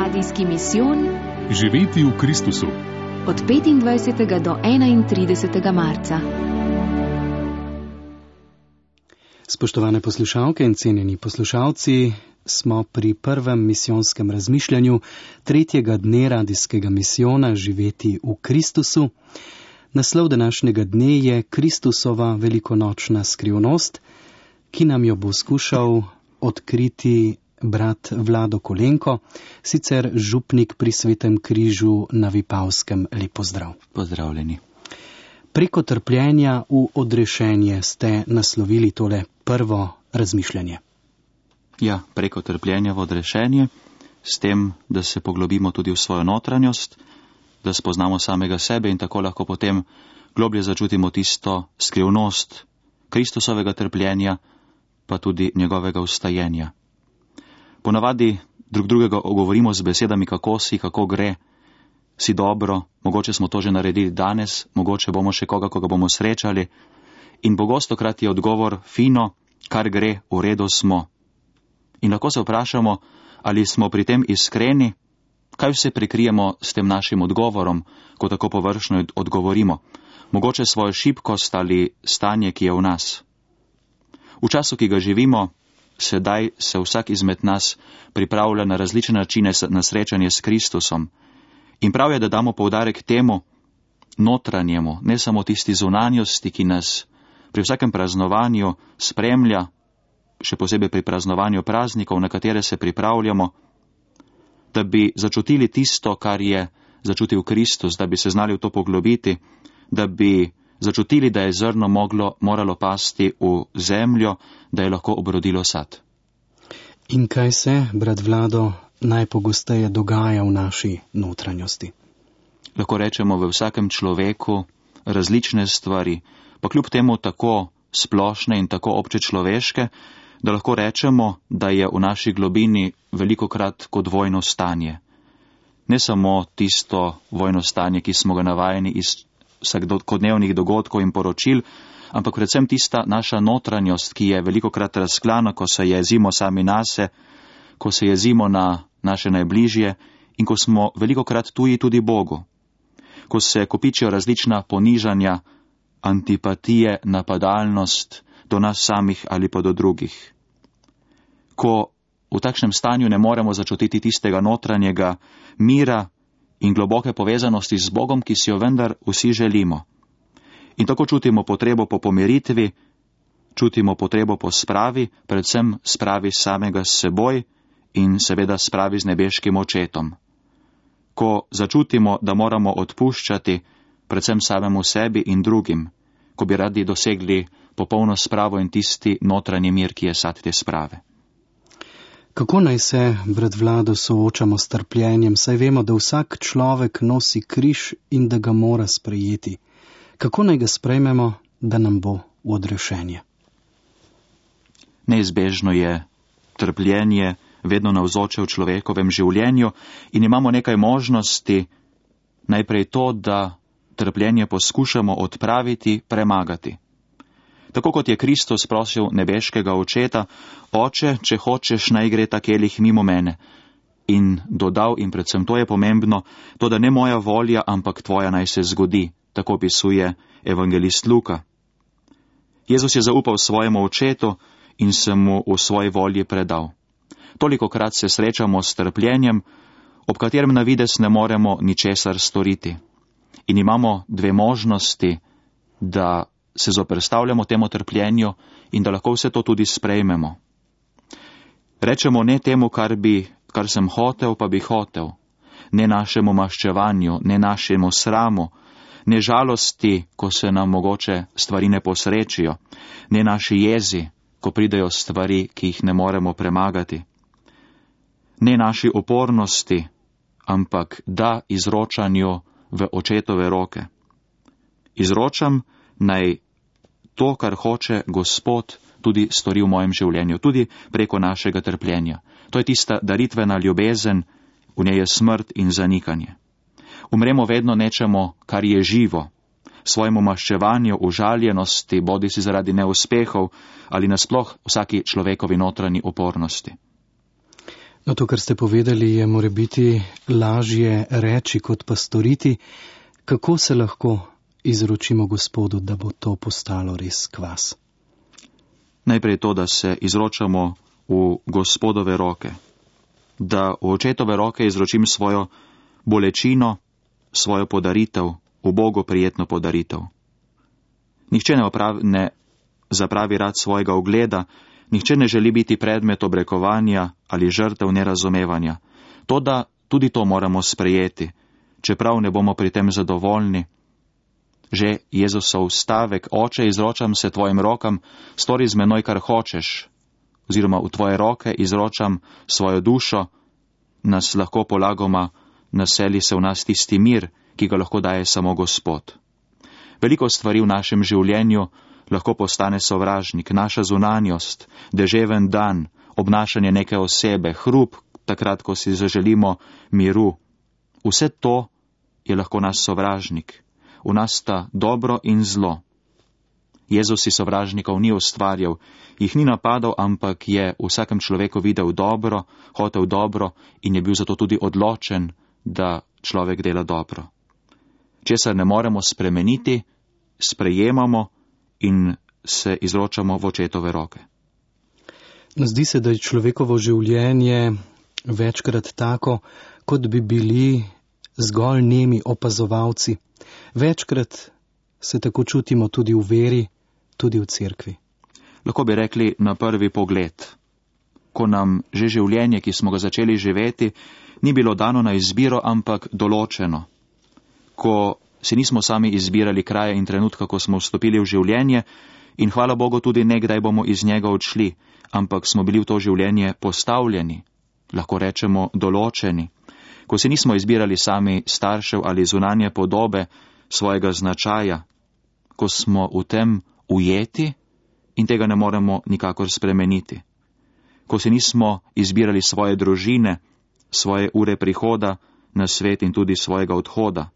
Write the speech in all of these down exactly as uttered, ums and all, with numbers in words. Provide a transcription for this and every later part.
Radijski misijon Živeti v Kristusu od petindvajsetega do enaintridesetega marca. Spoštovane poslušalke in cenjeni poslušalci, smo pri prvem misijonskem razmišljanju tretjega dne radijskega misijona Živeti v Kristusu. Naslov današnjega dne je Kristusova velikonočna skrivnost, ki nam jo bo skušal odkriti brat Vlado Kolenko, sicer župnik pri Svetem križu na Vipavskem. Lep pozdrav. Pozdravljeni. Preko trpljenja v odrešenje ste naslovili tole prvo razmišljanje. Ja, preko trpljenja v odrešenje, s tem, da se poglobimo tudi v svojo notranjost, da spoznamo samega sebe in tako lahko potem globlje začutimo tisto skrivnost Kristusovega trpljenja, pa tudi njegovega vstajenja. Ponavadi drug drugega ogovorimo z besedami, kako si, kako gre, si dobro, mogoče smo to že naredili danes, mogoče bomo še koga, koga bomo srečali, in pogostokrat je odgovor fino, kar gre, v redu smo. In lahko se vprašamo, ali smo pri tem iskreni, kaj vse prikrijemo s tem našim odgovorom, ko tako površno odgovorimo, mogoče svojo šibkost ali stanje, ki je v nas. V času, ki ga živimo, sedaj se vsak izmed nas pripravlja na različne načine na srečanje s Kristusom. In prav je, da damo poudarek temu notranjemu, ne samo tisti zunanjosti, ki nas pri vsakem praznovanju spremlja, še posebej pri praznovanju praznikov, na katere se pripravljamo, da bi začutili tisto, kar je začutil Kristus, da bi se znali v to poglobiti, da bi začutili, da je zrno moglo, moralo pasti v zemljo, da je lahko obrodilo sad. In kaj se, brat Vlado, najpogosteje dogaja v naši notranjosti? Lahko rečemo v vsakem človeku različne stvari, pa kljub temu tako splošne in tako obče človeške, da lahko rečemo, da je v naši globini velikokrat kot vojno stanje. Ne samo tisto vojno stanje, ki smo ga navajeni iz vsakodnevnih dogodkov in poročil, ampak predvsem tista naša notranjost, ki je velikokrat razklana, ko se jezimo sami nase, ko se jezimo na naše najbližje in ko smo velikokrat tuji tudi Bogu. Ko se kopičijo različna ponižanja, antipatije, napadalnost do nas samih ali pa do drugih. Ko v takšnem stanju ne moremo začutiti tistega notranjega mira in globoke povezanosti z Bogom, ki si jo vendar vsi želimo. In tako čutimo potrebo po pomiritvi, čutimo potrebo po spravi, predvsem spravi samega s seboj in seveda spravi z nebeškim očetom. Ko začutimo, da moramo odpuščati predvsem samemu sebi in drugim, ko bi radi dosegli popolno spravo in tisti notranji mir, ki je sad te sprave. Kako naj se, brat Vlado, soočamo s trpljenjem, saj vemo, da vsak človek nosi križ in da ga mora sprejeti? Kako naj ga sprejmemo, da nam bo v odrešenje? Neizbežno je trpljenje vedno navzoče v človekovem življenju in imamo nekaj možnosti, najprej to, da trpljenje poskušamo odpraviti, premagati. Tako kot je Kristus prosil nebeškega očeta, Oče, če hočeš, naj gre ta kelih mimo mene. In dodal, in predvsem to je pomembno, to, da ne moja volja, ampak tvoja naj se zgodi, tako opisuje evangelist Luka. Jezus je zaupal svojemu očetu in se mu v svoji volji predal. Tolikokrat se srečamo s trpljenjem, ob katerem na vides ne moremo ničesar storiti. In imamo dve možnosti, da se zoperstavljamo temu trpljenju in da lahko vse to tudi sprejmemo. Rečemo ne temu, kar bi, kar sem hotel, pa bi hotel, ne našemu maščevanju, ne našemu sramu, ne žalosti, ko se nam mogoče stvari ne posrečijo, ne naši jezi, ko pridejo stvari, ki jih ne moremo premagati, ne naši upornosti, ampak da izročanju v očetove roke. Izročam, naj to, kar hoče Gospod, tudi stori v mojem življenju, tudi preko našega trpljenja. To je tista daritvena ljubezen, v njej je smrt in zanikanje. Umremo vedno nečemu, kar je živo, svojemu maščevanju, užaljenosti, bodi si zaradi neuspehov ali nasploh vsaki človekovi notranji upornosti. No, to, kar ste povedali, je morebiti lažje reči kot pa storiti. Kako se lahko izročimo Gospodu, da bo to postalo res kvas? Najprej to, da se izročamo v Gospodove roke. Da v očetove roke izročim svojo bolečino, svojo podaritev, v Bogu prijetno podaritev. Nihče ne, opravi, ne zapravi rad svojega ugleda, nihče ne želi biti predmet obrekovanja ali žrtev nerazumevanja. Toda tudi to moramo sprejeti, čeprav ne bomo pri tem zadovoljni. Že Jezusov stavek, Oče, izročam se tvojim rokam, stori z menoj, kar hočeš, oziroma v tvoje roke izročam svojo dušo, nas lahko polagoma naseli se v nas tisti mir, ki ga lahko daje samo Gospod. Veliko stvari v našem življenju lahko postane sovražnik, naša zunanjost, deževen dan, obnašanje neke osebe, hrup, takrat, ko si zaželimo miru. Vse to je lahko naš sovražnik. V nas sta dobro in zlo. Jezus si sovražnikov ni ustvarjal, jih ni napadal, ampak je v vsakem človeku videl dobro, hotel dobro in je bil zato tudi odločen, da človek dela dobro. Česar ne moremo spremeniti, sprejemamo in se izročamo v očetove roke. Zdi se, da je človekovo življenje večkrat tako, kot bi bili zgolj nemi opazovalci. Večkrat se tako čutimo tudi v veri, tudi v cerkvi. Lahko bi rekli na prvi pogled, ko nam že življenje, ki smo ga začeli živeti, ni bilo dano na izbiro, ampak določeno. Ko si nismo sami izbirali kraja in trenutka, ko smo vstopili v življenje in hvala Bogu tudi nekdaj bomo iz njega odšli, ampak smo bili v to življenje postavljeni, lahko rečemo določeni. Ko si nismo izbirali sami staršev ali zunanje podobe svojega značaja, ko smo v tem ujeti in tega ne moremo nikakor spremeniti. Ko si nismo izbirali svoje družine, svoje ure prihoda na svet in tudi svojega odhoda.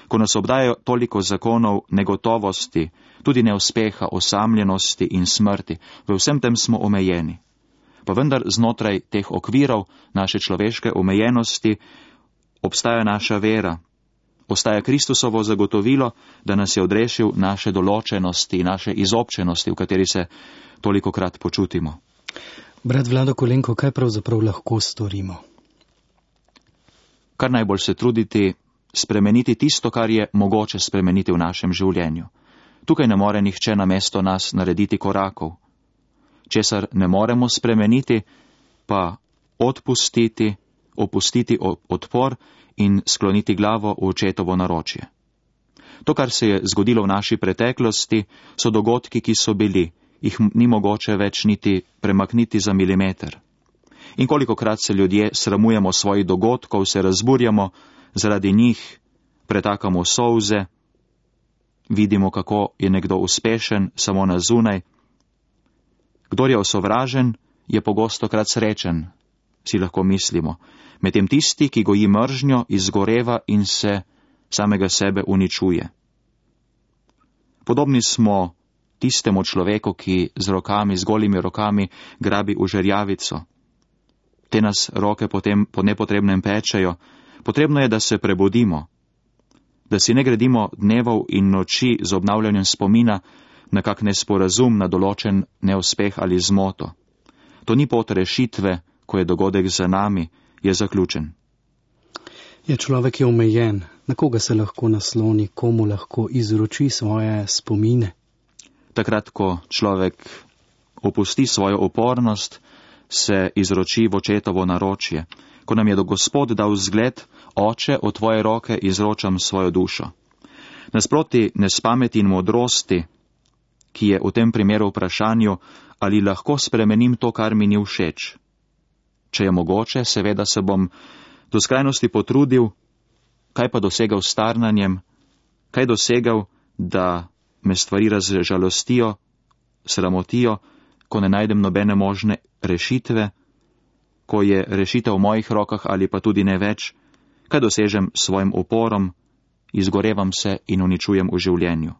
Ko nas obdajajo toliko zakonov negotovosti, tudi neuspeha, osamljenosti in smrti, v vsem tem smo omejeni. Pa vendar znotraj teh okvirov naše človeške omejenosti obstaja naša vera, ostaja Kristusovo zagotovilo, da nas je odrešil naše določenosti, naše izobčenosti, v kateri se tolikokrat počutimo. Brat Vlado Kolenko, kaj pravzaprav lahko storimo? Kar najbolj se truditi spremeniti tisto, kar je mogoče spremeniti v našem življenju. Tukaj ne more nihče namesto nas narediti korakov. Česar ne moremo spremeniti, pa odpustiti, opustiti odpor in skloniti glavo v očetovo naročje. To, kar se je zgodilo v naši preteklosti, so dogodki, ki so bili, jih ni mogoče več niti premakniti za milimeter. In kolikokrat se ljudje sramujemo svojih dogodkov, se razburjamo, zaradi njih pretakamo solze, vidimo, kako je nekdo uspešen samo na zunaj. Kdor je osovražen, je pogostokrat srečen, si lahko mislimo. Medtem tisti, ki goji mržnjo, izgoreva in se samega sebe uničuje. Podobni smo tistemu človeku, ki z rokami, z golimi rokami grabi v žerjavico. Te nas roke potem po nepotrebnem pečejo. Potrebno je, da se prebudimo, da si ne gradimo dnevov in noči z obnavljanjem spomina na kak nesporazum, na določen neuspeh ali zmoto. To ni pot rešitve, ko je dogodek za nami, je zaključen. Je človek je omejen, na koga se lahko nasloni, komu lahko izroči svoje spomine? Takrat, ko človek opusti svojo upornost, se izroči v očetovo naročje. Ko nam je do Gospod dal zgled, Oče, v tvoje roke izročam svojo dušo. Nasproti nespameti in modrosti, ki je v tem primeru vprašanju, ali lahko spremenim to, kar mi ni všeč. Če je mogoče, seveda se bom do skrajnosti potrudil, kaj pa dosegal s starnanjem, kaj dosegal, da me stvari razžalostijo, sramotijo, ko ne najdem nobene možne rešitve, ko je rešitev v mojih rokah ali pa tudi ne več, kaj dosežem s svojim uporom, izgorevam se in uničujem v življenju.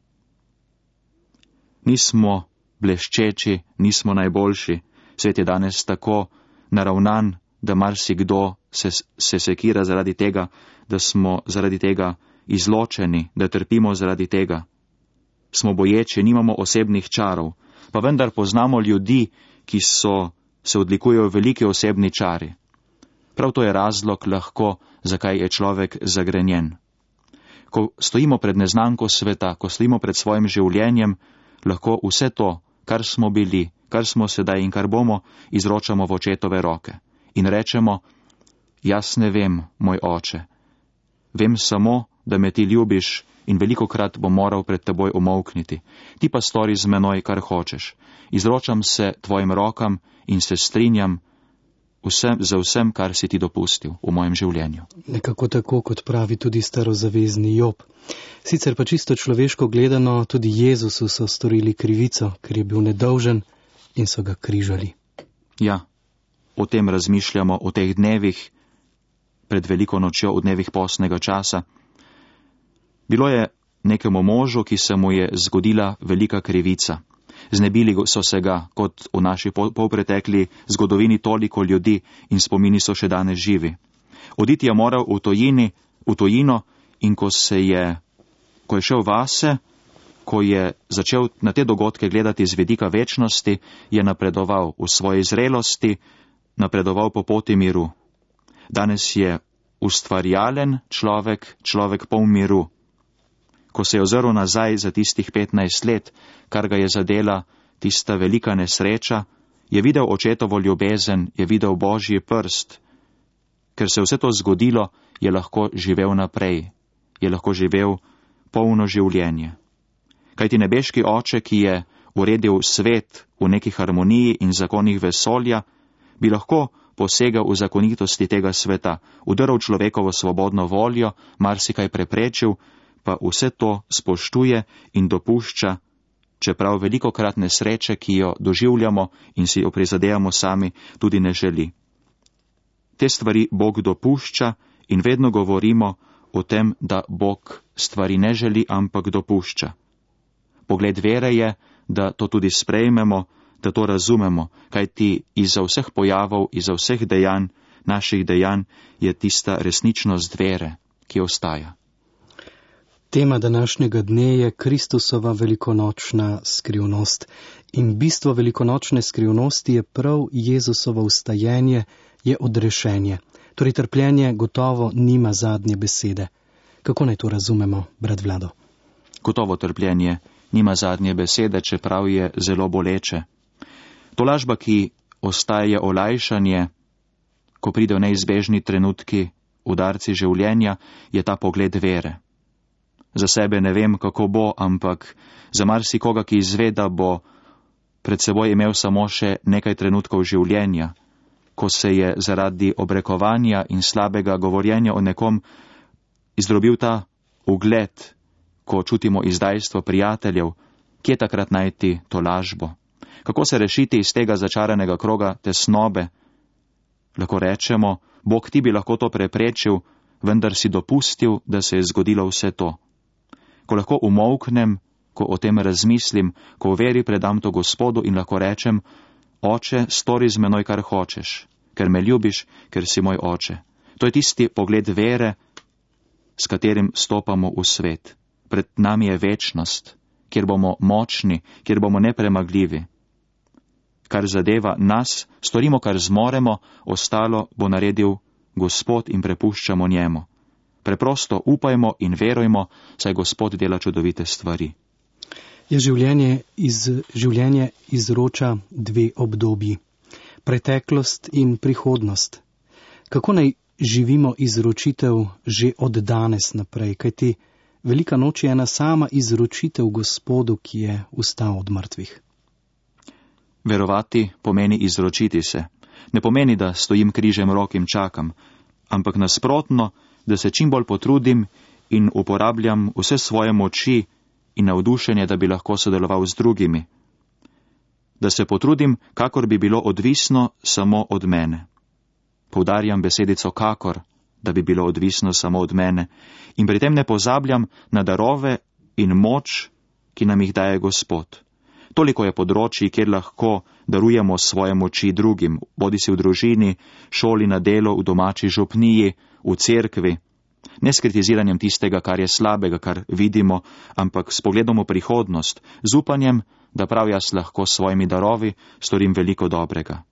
Nismo bleščeči, nismo najboljši, svet je danes tako naravnan, da marsikdo se, se sekira zaradi tega, da smo zaradi tega izločeni, da trpimo zaradi tega. Smo boječi, nimamo osebnih čarov, pa vendar poznamo ljudi, ki so, se odlikujejo veliki osebni čari. Prav to je razlog lahko, zakaj je človek zagrenjen. Ko stojimo pred neznanko sveta, ko stojimo pred svojim življenjem, lahko vse to, kar smo bili, kar smo sedaj in kar bomo, izročamo v očetove roke. In rečemo, jaz ne vem, moj oče. Vem samo, da me ti ljubiš in velikokrat bom moral pred teboj umolkniti. Ti pa stori z menoj, kar hočeš. Izročam se tvojim rokam in se strinjam vsem, za vsem, kar si ti dopustil v mojem življenju. Nekako tako, kot pravi tudi starozavezni Job. Sicer pa čisto človeško gledano, tudi Jezusu so storili krivico, ker je bil nedolžen in so ga križali. Ja, o tem razmišljamo v teh dnevih, pred veliko nočjo, v dnevih postnega časa. Bilo je nekemu možu, ki se mu je zgodila velika krivica. Znebili so se ga, kot v naši polpretekli zgodovini, toliko ljudi in spomini so še danes živi. Oditi je moral v, tojini, v tojino in ko se je, ko je šel vase, ko je začel na te dogodke gledati z vidika večnosti, je napredoval v svoji zrelosti, napredoval po poti miru. Danes je ustvarjalen človek, človek poln miru. Ko se je ozrl nazaj za tistih petnajst let, kar ga je zadela tista velika nesreča, je videl očetovo ljubezen, je videl Božji prst. Ker se je vse to zgodilo, je lahko živel naprej, je lahko živel polno življenje. Kajti nebeški oče, ki je uredil svet v neki harmoniji in zakonih vesolja, bi lahko posegal v zakonitosti tega sveta, udrl človekovo svobodno voljo, marsikaj preprečil, pa vse to spoštuje in dopušča, čeprav velikokrat nesreče, ki jo doživljamo in si jo prizadejamo sami, tudi ne želi. Te stvari Bog dopušča in vedno govorimo o tem, da Bog stvari ne želi, ampak dopušča. Pogled vere je, da to tudi sprejmemo, da to razumemo, kajti iza vseh pojavov, iza vseh dejanj, naših dejanj, je tista resničnost vere, ki ostaja. Tema današnjega dne je Kristusova velikonočna skrivnost. In bistvo velikonočne skrivnosti je prav Jezusovo vstajenje, je odrešenje. Torej trpljenje gotovo nima zadnje besede. Kako naj to razumemo, brat Vlado? Gotovo trpljenje nima zadnje besede, čeprav je zelo boleče. Tolažba, ki ostaje olajšanje, ko pridejo neizbežni trenutki, udarci življenja, je ta pogled vere. Za sebe ne vem, kako bo, ampak za marsikoga, ki izve, da bo pred seboj imel samo še nekaj trenutkov življenja, ko se je zaradi obrekovanja in slabega govorjenja o nekom izdrobil ta ugled, ko čutimo izdajstvo prijateljev, kje takrat najti to lažbo? Kako se rešiti iz tega začaranega kroga tesnobe? Lahko rečemo, Bog, ti bi lahko to preprečil, vendar si dopustil, da se je zgodilo vse to. Ko lahko umolknem, ko o tem razmislim, ko v veri predam to Gospodu in lahko rečem, Oče, stori z menoj, kar hočeš, ker me ljubiš, ker si moj oče. To je tisti pogled vere, s katerim stopamo v svet. Pred nami je večnost, kjer bomo močni, kjer bomo nepremagljivi. Kar zadeva nas, storimo, kar zmoremo, ostalo bo naredil Gospod in prepuščamo njemu. Preprosto upajmo in verujmo, saj Gospod dela čudovite stvari. Je življenje, iz, življenje izroča dve obdobji, preteklost in prihodnost. Kako naj živimo izročitev že od danes naprej, kajti velika noč je ena sama izročitev Gospodu, ki je vstal od mrtvih. Verovati pomeni izročiti se. Ne pomeni, da stojim križem rok in čakam, ampak nasprotno, da se čim bolj potrudim in uporabljam vse svoje moči in navdušenje, da bi lahko sodeloval z drugimi. Da se potrudim, kakor bi bilo odvisno samo od mene. Poudarjam besedico kakor, da bi bilo odvisno samo od mene, in pri tem ne pozabljam na darove in moč, ki nam jih daje Gospod. Toliko je področji, kjer lahko darujemo svoje moči drugim, bodi si v družini, šoli, na delu, v domači župniji, v cerkvi. Ne s kritiziranjem tistega, kar je slabega, kar vidimo, ampak s pogledom v prihodnost, z upanjem, da prav jaz lahko s svojimi darovi storim veliko dobrega.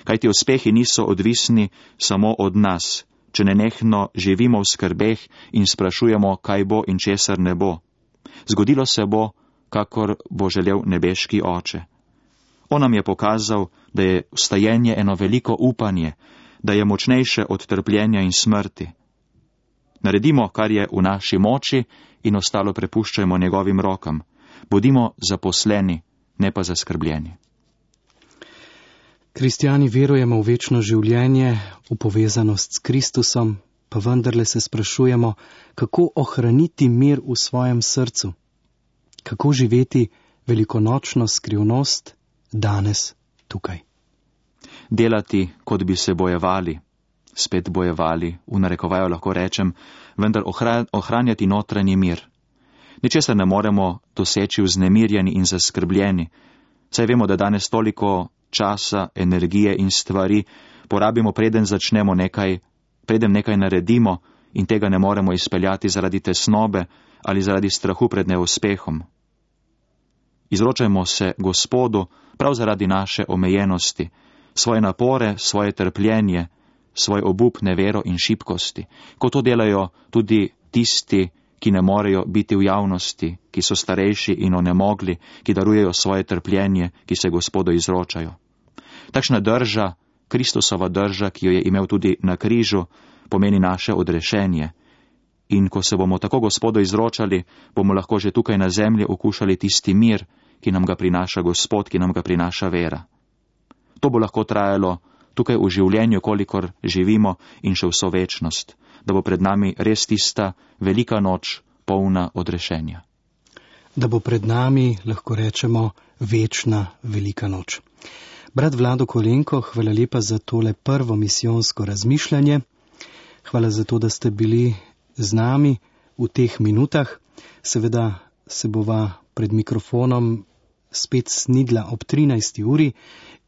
Kajti uspehi niso odvisni samo od nas, če nenehno živimo v skrbeh in sprašujemo, kaj bo in česar ne bo. Zgodilo se bo, kakor bo želel nebeški Oče. On nam je pokazal, da je vstajenje eno veliko upanje, da je močnejše od trpljenja in smrti. Naredimo, kar je v naši moči in ostalo prepuščajmo njegovim rokam. Bodimo zaposleni, ne pa zaskrbljeni. Kristjani verujemo v večno življenje, v povezanost s Kristusom, pa vendarle se sprašujemo, kako ohraniti mir v svojem srcu, kako živeti velikonočno skrivnost danes tukaj. Delati, kot bi se bojevali, spet bojevali, v narekovaju lahko rečem, vendar ohranjati notranji mir. Ničesar ne moremo doseči vznemirjeni in zaskrbljeni, saj vemo, da danes toliko časa, energije in stvari porabimo, preden začnemo nekaj, preden nekaj naredimo in tega ne moremo izpeljati zaradi tesnobe ali zaradi strahu pred neuspehom. Izročajmo se Gospodu prav zaradi naše omejenosti, svoje napore, svoje trpljenje, svoj obup, nevero in šibkosti, kot to delajo tudi tisti, ki ne morejo biti v javnosti, ki so starejši in onemogli, ki darujejo svoje trpljenje, ki se Gospodu izročajo. Takšna drža, Kristusova drža, ki jo je imel tudi na križu, pomeni naše odrešenje. In ko se bomo tako Gospodu izročali, bomo lahko že tukaj na zemlji okušali tisti mir, ki nam ga prinaša Gospod, ki nam ga prinaša vera. To bo lahko trajalo tukaj v življenju, kolikor živimo in še vso večnost, da bo pred nami res tista velika noč, polna odrešenja. Da bo pred nami, lahko rečemo, večna velika noč. Brat Vlado Kolenko, hvala lepa za tole prvo misijonsko razmišljanje. Hvala za to, da ste bili z nami v teh minutah. Seveda se bova pred mikrofonom spet snidla ob trinajsti uri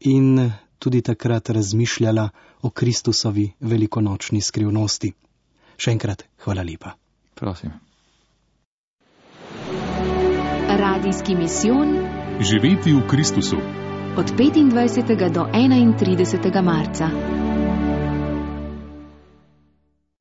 in tudi takrat razmišljala o Kristusovi velikonočni skrivnosti. Še enkrat hvala lepa. Prosim. Radijski misijon Živeti v Kristusu. Od petindvajsetega do enaintridesetega marca.